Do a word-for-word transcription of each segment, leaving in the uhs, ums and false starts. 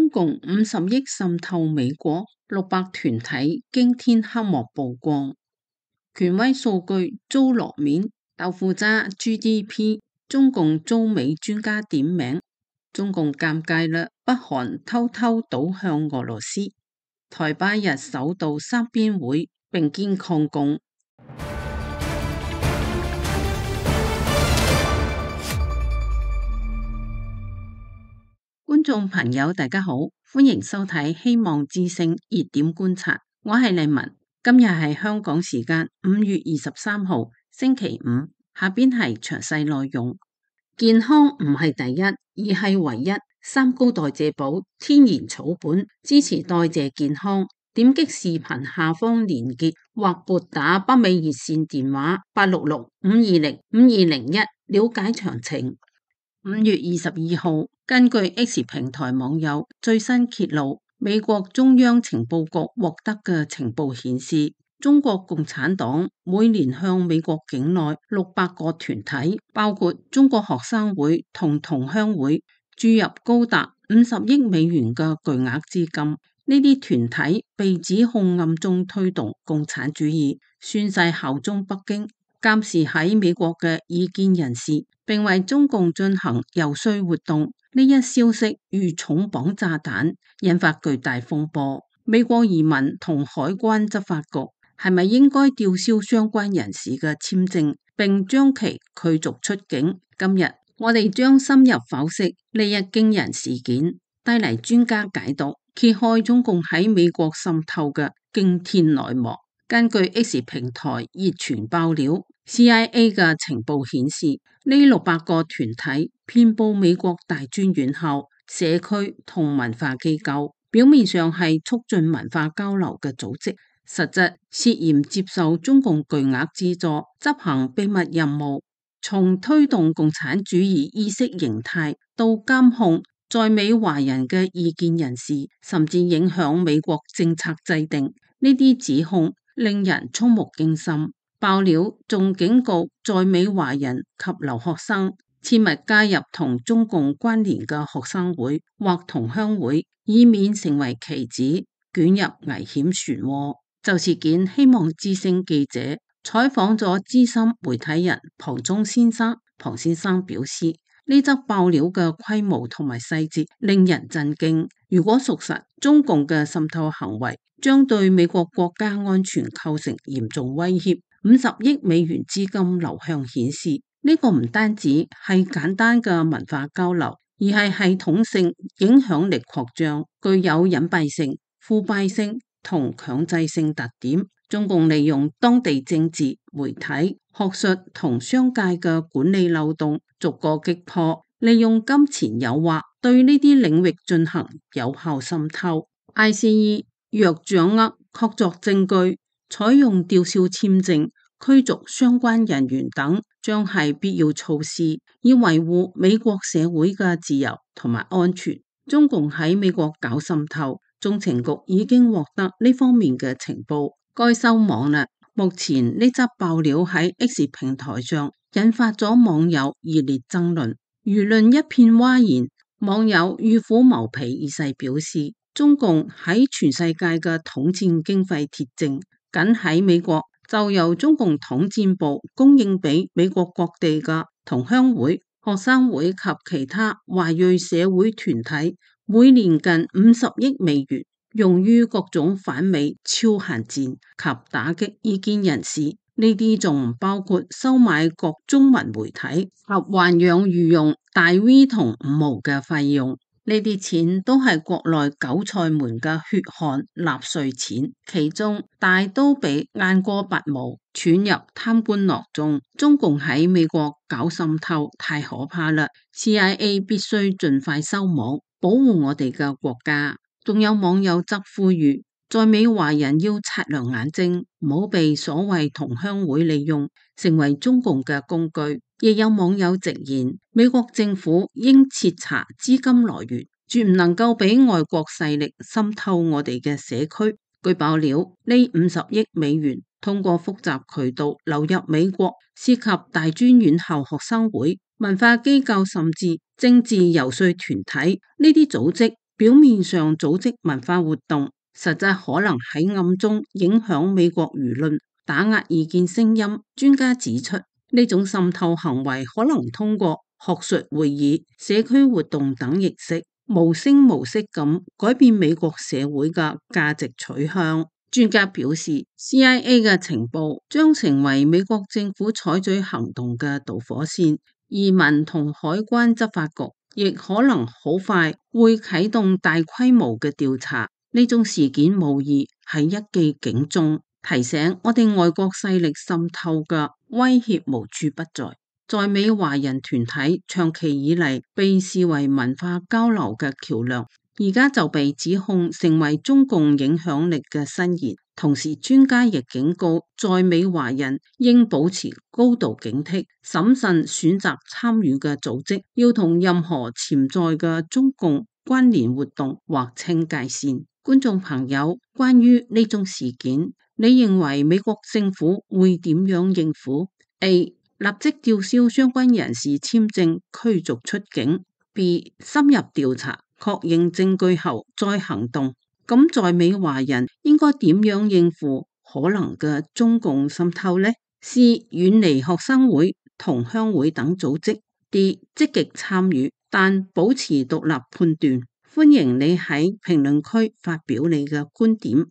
中共五十億滲透美國，六百團體驚天黑幕曝光，權威數據遭落面，豆腐渣 G D P， 中共遭美專家點名，中共尷尬啦，北韓偷偷倒向俄羅斯，台巴日首度三邊會並肩抗共。觀眾朋友大家好，歡迎收睇希望之聲熱點觀察，我係麗文。今日係香港時間五月二十三號星期五，下邊係詳細內容。健康唔係第一，而係唯一。三高代謝寶天然草本，支持代謝健康。點擊視頻下方連結或撥打北美熱線電話八六六五二零五二零一了解詳情。五月二十二號，根據 X 平台網友最新揭露，美國中央情報局獲得嘅情報顯示，中國共產黨每年向美國境內六百個團體，包括中國學生會同同鄉會，注入高達五十億美元嘅巨額資金。呢啲團體被指控暗中推動共產主義，宣誓效忠北京，監視喺美國嘅異見人士，並為中共進行遊說活動。呢一消息如重磅炸彈，引發巨大風波。美國移民同海關執法局係咪應該吊銷相關人士嘅簽證，並將其驅逐出境？今日我哋將深入剖析呢一驚人事件，帶嚟專家解讀，揭開中共喺美國滲透嘅驚天內幕。根據 X 平台熱傳爆料， C I A 嘅情報顯示，呢六百個團體遍佈美國大專院校、社區同文化機構，表面上係促進文化交流嘅組織，實質涉嫌接受中共巨額資助，執行秘密任務，從推動共產主義意識形態到監控在美華人嘅異見人士，甚至影響美國政策制定。呢啲指控令人觸目驚心。爆料仲警告在美華人及留學生切勿加入同中共關聯嘅學生會或同鄉會，以免成為棋子，捲入危險漩渦。就事件，希望之聲記者採訪咗資深媒體人龐中先生。龐先生表示，呢則爆料嘅規模同埋細節令人震驚。如果屬實，中共嘅滲透行為將對美國國家安全構成嚴重威脅。五十億美元資金流向顯示，呢、這個唔單止係簡單嘅文化交流，而係系統性影響力擴張，具有隱蔽性、腐敗性同強制性特點。中共利用當地政治、媒體、學術同商界嘅管理漏洞，逐個擊破，利用金錢誘惑對呢啲領域進行有效滲透。I C E 若掌握確鑿證據，採用吊銷簽證、驅逐相關人員等，將係必要措施，以維護美國社會嘅自由同埋安全。中共喺美國搞滲透，中情局已經獲得呢方面嘅情報，該收網啦。目前呢則爆料喺 X 平台上引發咗網友熱烈爭論，輿論一片譁然。網友欲虎謀皮二世表示，中共喺全世界嘅統戰經費鐵證，僅喺美國就由中共統戰部供應俾美國各地嘅同鄉會、學生會及其他華裔社會團體，每年近五十億美元，用於各種反美超限戰及打擊異見人士。呢啲仲唔包括收買各中文媒體及豢養御用大 V 同五毛嘅費用。呢啲錢都係國內韭菜們嘅血汗納稅錢，其中大都被雁過拔毛，捲入貪官囊中。中共喺美國搞滲透太可怕啦 ，C I A 必須盡快收網，保護我哋嘅國家。仲有網友則呼籲，在美華人要擦亮眼睛，唔好被所謂同鄉會利用，成為中共嘅工具。亦有網友直言，美國政府應徹查資金來源，絕唔能夠俾外國勢力滲透我哋嘅社區。據爆料，呢五十億美元通過複雜渠道流入美國，涉及大專院校學生會、文化機構甚至政治遊說團體。呢啲組織表面上組織文化活動，實際可能喺暗中影響美國輿論，打壓意見聲音。專家指出，呢種滲透行為可能通過學術會議、社區活動等形式，無聲無息咁改變美國社會嘅價值取向。專家表示 ，C I A 嘅情報將成為美國政府採取行動嘅導火線，移民同海關執法局亦可能好快會啟動大規模嘅調查。呢種事件無疑係一記警鐘，提醒我哋外國勢力滲透嘅威脅無處不在。在美華人團體長期以嚟被視為文化交流嘅橋樑，而家就被指控成為中共影響力嘅伸延。同時，專家亦警告在美華人應保持高度警惕，審慎選擇參與嘅組織，要同任何潛在嘅中共關聯活動劃清界線。觀眾朋友，關於呢宗事件，你認為美國政府會點樣應付？ A. 立即吊銷相關人士簽證，驅逐出境。B. 深入調查，確認證據後再行動。咁在美華人應該點樣應付可能嘅中共滲透呢？ C. 遠離學生會、同鄉會等組織。D. 積極參與，但保持獨立判斷。歡迎你喺評論區發表你嘅觀點。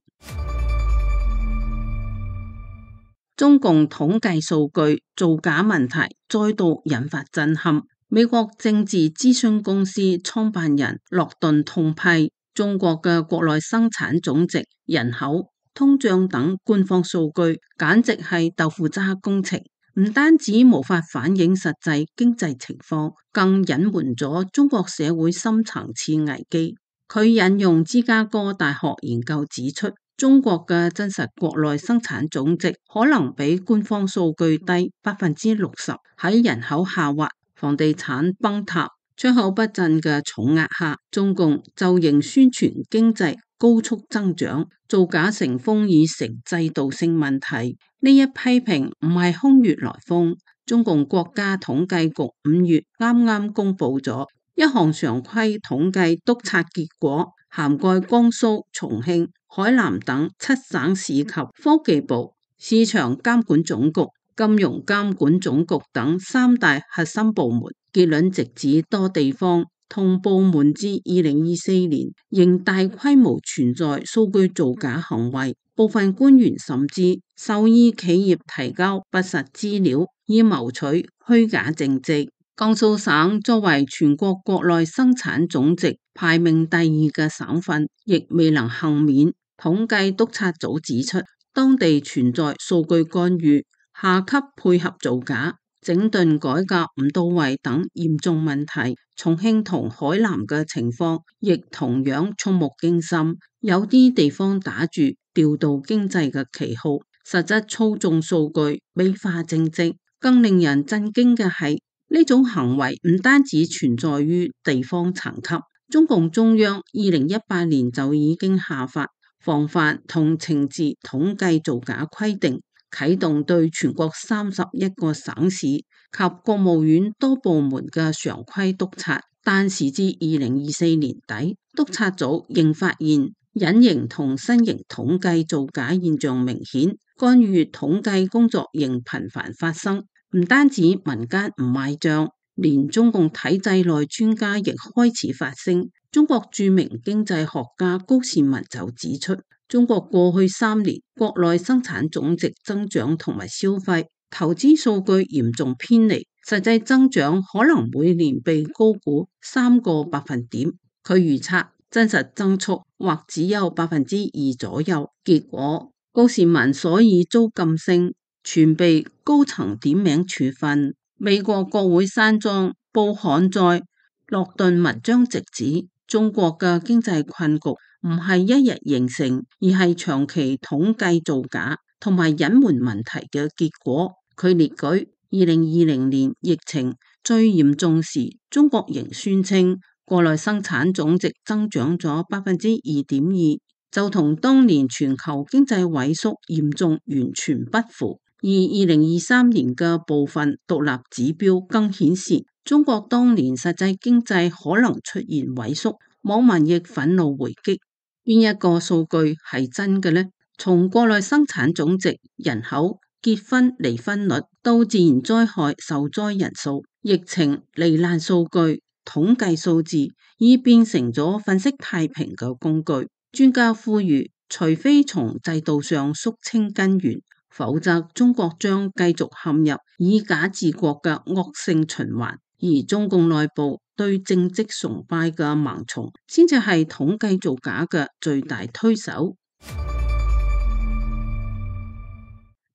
中共統計數據造假問題再度引發震撼。美國政治諮詢公司創辦人諾頓痛批中國嘅國內生產總值、人口、通脹等官方數據簡直係豆腐渣工程，唔單止無法反映實際經濟情況，更隱瞞咗中國社會深層次危機。佢引用芝加哥大學研究指出，中國嘅真實國內生產總值可能比官方數據低百分之六十。喺人口下滑、房地產崩塌、出口不振嘅重壓下，中共就仍宣傳經濟高速增長，造假成風已成制度性問題。呢一批評唔係空穴來風，中共國家統計局五月啱啱公布咗一項常規統計督察結果，涵蓋江蘇、重慶、海南等七省市及科技部、市場監管總局、金融監管總局等三大核心部門。結論直指多地方同部門至二零二四年仍大規模存在數據造假行為，部分官員甚至授意企業提交不實資料，以謀取虛假政績。江蘇省作為全國國內生產總值排名第二嘅省份，亦未能幸免。統計督察組指出，當地存在數據干預、下級配合造假、整頓改革唔到位等嚴重問題。重慶同海南嘅情況亦同樣觸目驚心，有啲地方打住調度經濟嘅旗號，實質操縱數據、美化政績。更令人震驚嘅係，呢種行為唔單止存在於地方層級，中共中央二零一八年就已經下發防範同懲治統計造假規定，啟動對全國三十一個省市及國務院多部門嘅常規督察。但時至二零二四年底，督察組仍發現隱形同新型統計造假現象明顯，干預統計工作仍頻繁發生。唔單止民間唔買賬，連中共體制內專家亦開始發聲。中國著名經濟學家高士文就指出，中國過去三年國內生產總值增長同埋消費、投資數據嚴重偏離，實際增長可能每年被高估三個百分點。佢預測真實增速或只有百分之二左右。結果高士文所以遭禁聲，全被高層點名處分。美國國會山莊報刊載諾頓文章直指，中國嘅經濟困局唔係一日形成，而係長期統計造假同埋隱瞞問題嘅結果。佢列舉二零二零年疫情最嚴重時，中國仍宣稱國內生產總值增長咗百分之二點二，就同當年全球經濟萎縮嚴重完全不符。而二零二三年嘅部分獨立指標更顯示，中國當年實際經濟可能出現萎縮，網民亦憤怒回擊：邊一個數據係真嘅呢？從國內生產總值、人口、結婚離婚率到自然災害受災人數、疫情罹難數據、統計數字，已變成咗分析太平嘅工具。專家呼籲，除非從制度上肅清根源，否則中國將繼續陷入以假治國嘅惡性循環。而中共內部對政績崇拜嘅盲從，先至係統計造假嘅最大推手。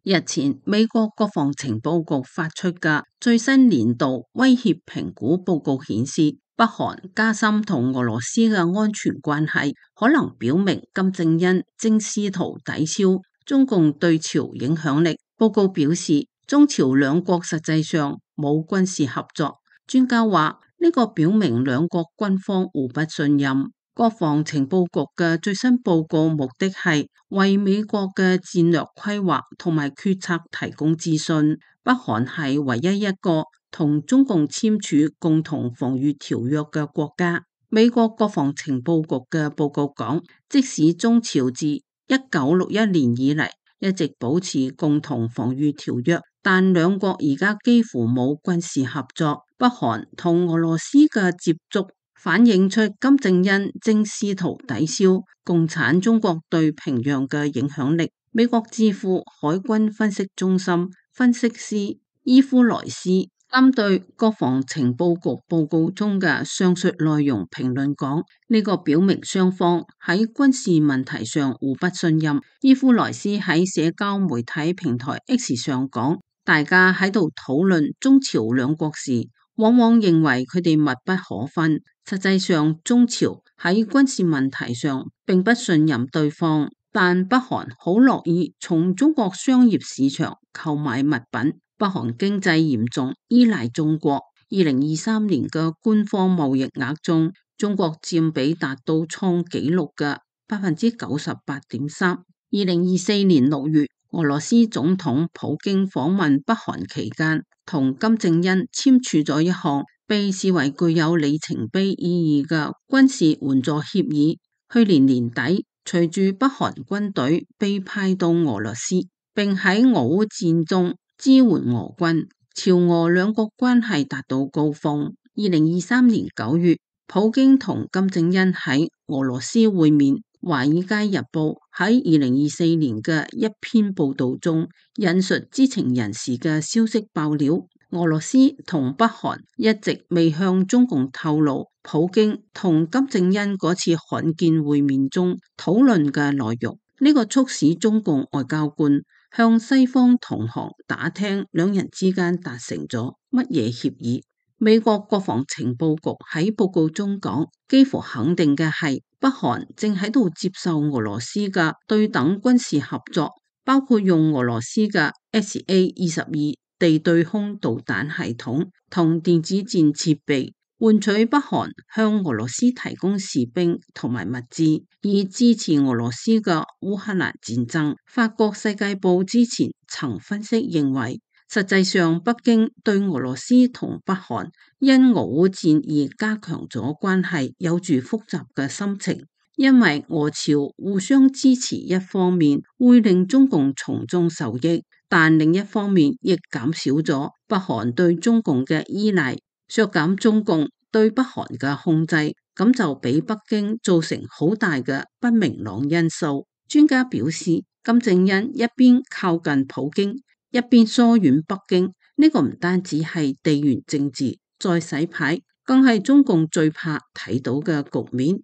日前，美國國防情報局發出嘅最新年度威脅評估報告顯示，北韓加深同俄羅斯嘅安全關係，可能表明金正恩正試圖抵消中共對朝影響力。報告表示，中朝兩國實際上冇軍事合作。專家話，呢個表明兩國軍方互不信任。國防情報局嘅最新報告目的係為美國嘅戰略規劃同埋決策提供資訊。北韓係唯一一個同中共簽署共同防禦條約嘅國家。美國國防情報局嘅報告講，即使中朝自一九六一年以嚟一直保持共同防禦條約，但兩國而家幾乎冇軍事合作。北韓同俄羅斯嘅接觸反映出金正恩正試圖抵消共產中國對平壤嘅影響力。美國智庫海軍分析中心分析師伊夫萊斯針對國防情報局報告中嘅上述內容評論講，呢個表明雙方喺軍事問題上互不信任。伊夫萊斯喺社交媒體平台 X 上講，大家喺度討論中朝兩國時，往往認為佢哋密不可分。實際上，中朝喺軍事問題上並不信任對方，但北韓好樂意從中國商業市場購買物品。北韓經濟嚴重依賴中國，二零二三年嘅官方貿易額中，中國佔比達到創紀錄嘅百分之九十八點三。二零二四年六月，俄羅斯總統普京訪問北韓期間，同金正恩簽署咗一項被視為具有里程碑意義嘅軍事援助協議。去年年底，隨住北韓軍隊被派到俄羅斯，並喺俄烏戰中支援俄軍，朝俄兩國關係達到高峰。二零二三年九月，普京同金正恩喺俄羅斯會面。華爾街日報喺二零二四年嘅一篇報道中，引述知情人士嘅消息爆料，俄羅斯同北韓一直未向中共透露普京同金正恩嗰次罕見會面中討論嘅內容。呢個促使中共外交官向西方同行打聽兩人之間達成咗乜嘢協議。美國國防情報局喺報告中講，幾乎肯定嘅係北韓正喺度接受俄羅斯嘅對等軍事合作，包括用俄羅斯嘅 S A 二十二地對空導彈系統同電子戰設備，換取北韓向俄羅斯提供士兵同埋物資，以支持俄羅斯嘅烏克蘭戰爭。法國世界報之前曾分析認為，實際上北京對俄羅斯同北韓因俄烏戰而加強咗關係有住複雜嘅心情，因為俄朝互相支持一方面會令中共從中受益，但另一方面亦減少咗北韓對中共嘅依賴，削減中共對北韓嘅控制，咁就俾北京造成好大嘅不明朗因素。專家表示，金正恩一邊靠近普京，一邊疏遠北京，呢、這個唔單止係地緣政治再洗牌，更係中共最怕睇到嘅局面。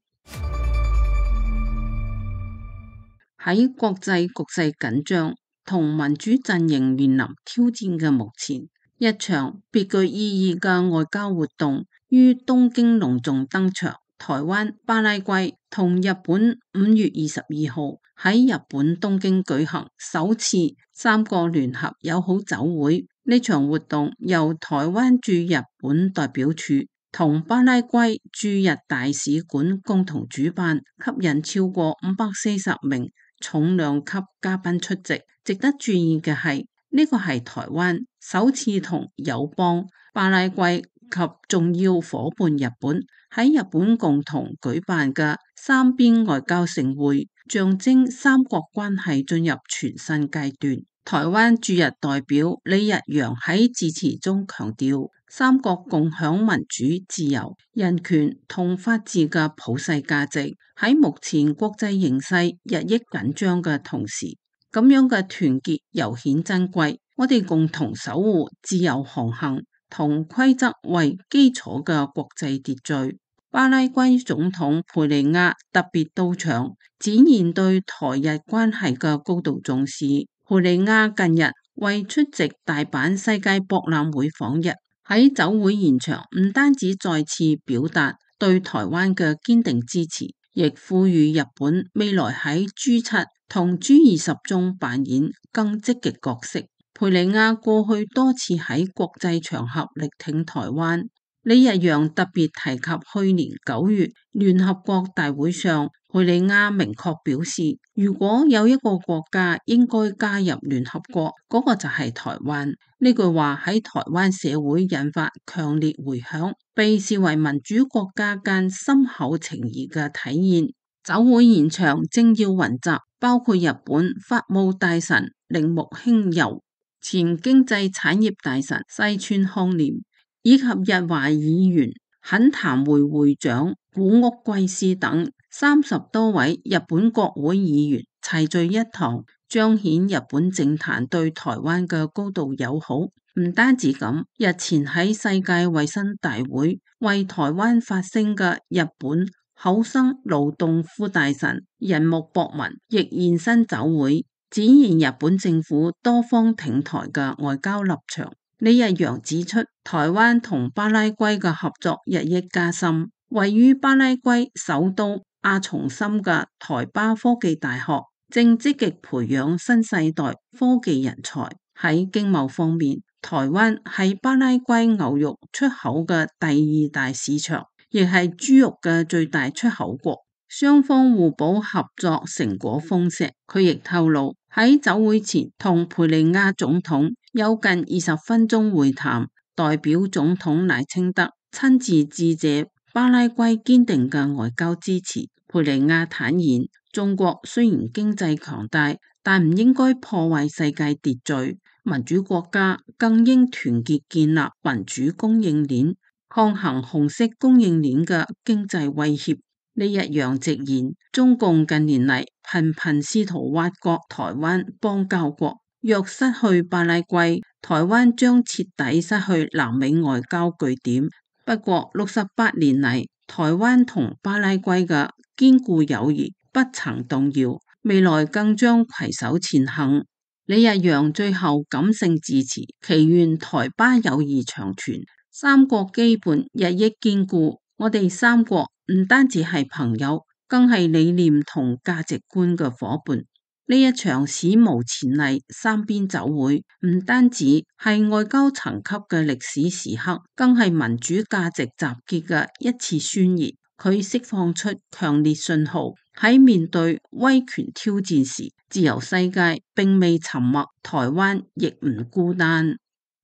喺國際局勢緊張同民主陣營面臨挑戰嘅目前，一場別具意義嘅外交活動於東京隆重登場。台灣、巴拉圭同日本五月二十二號喺日本東京舉行首次三個聯合友好酒會。呢場活動由台灣駐日本代表處同巴拉圭駐日大使館共同主辦，吸引超過五百四十名重量級嘉賓出席。值得注意嘅係，呢個係台灣首次同友邦巴拉圭及重要夥伴日本喺日本共同舉辦嘅三邊外交盛會，象徵三國關係進入全新階段。台灣駐日代表李日陽喺致辭中強調，三國共享民主、自由、人權同法治嘅普世價值。喺目前國際形勢日益緊張嘅同時，咁樣嘅團結尤顯珍貴。我哋共同守護自由航行同規則為基礎嘅國際秩序。巴拉圭總統佩利亞特別到場，展現對台日關係嘅高度重視。佩利亞近日為出席大阪世界博覽會訪日，喺酒會現場唔單止再次表達對台灣嘅堅定支持，亦呼籲日本未來喺 G 七 同 G 二十中扮演更積極角色。佩利亞過去多次喺國際場合力挺台灣。李日陽特別提及去年九月聯合國大會上，佩利亞明確表示，如果有一個國家應該加入聯合國，嗰個就係台灣。呢句話喺台灣社會引發強烈迴響，被視為民主國家間深厚情誼嘅體現。酒會現場政要雲集，包括日本法務大臣鈴木興佑、前經濟產業大臣西村康稔，以及日華議員懇談會會長古屋圭司等三十多位日本國會議員齊聚一堂，彰顯日本政壇對台灣嘅高度友好。唔單止咁，日前喺世界衛生大會為台灣發聲嘅日本厚生勞動副大臣人木博文亦現身酒會，展現日本政府多方挺台嘅外交立場。李日陽指出，台灣同巴拉圭嘅合作日益加深。位於巴拉圭首都阿松森嘅台巴科技大學正積極培養新世代科技人才。喺經貿方面，台灣係巴拉圭牛肉出口嘅第二大市場，亦係豬肉嘅最大出口國。雙方互補合作成果豐碩。佢亦透露喺酒會前同佩利亞總統有近二十分鐘會談，代表總統賴清德親自致謝巴拉圭堅定嘅外交支持。佩利亞坦言，中國雖然經濟強大，但唔應該破壞世界秩序，民主國家更應團結建立民主供應鏈，抗衡紅色供應鏈嘅經濟威脅。李日陽直言，中共近年嚟頻頻試圖挖角台灣邦交國，若失去巴拉圭，台灣將徹底失去南美外交據點。不過六十八年嚟，台灣同巴拉圭嘅堅固友誼不曾動搖，未來更將攜手前行。李日陽最後感性致辭，祈願台巴友誼長存，三國基本日益堅固。我哋三國唔單止係朋友，更係理念同價值觀嘅夥伴。呢一場史無前例三邊酒會，唔單止係外交層級嘅歷史時刻，更係民主價值集結嘅一次宣言。佢釋放出強烈信號，喺面對威權挑戰時，自由世界並未沉默，台灣亦唔孤單。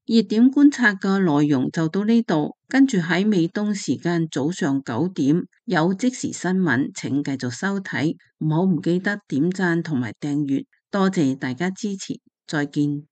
熱點觀察嘅內容就到呢度，跟住喺美東時間早上九點有即時新聞，請繼續收睇，唔好唔記得點讚同埋訂閱，多謝大家支持，再見。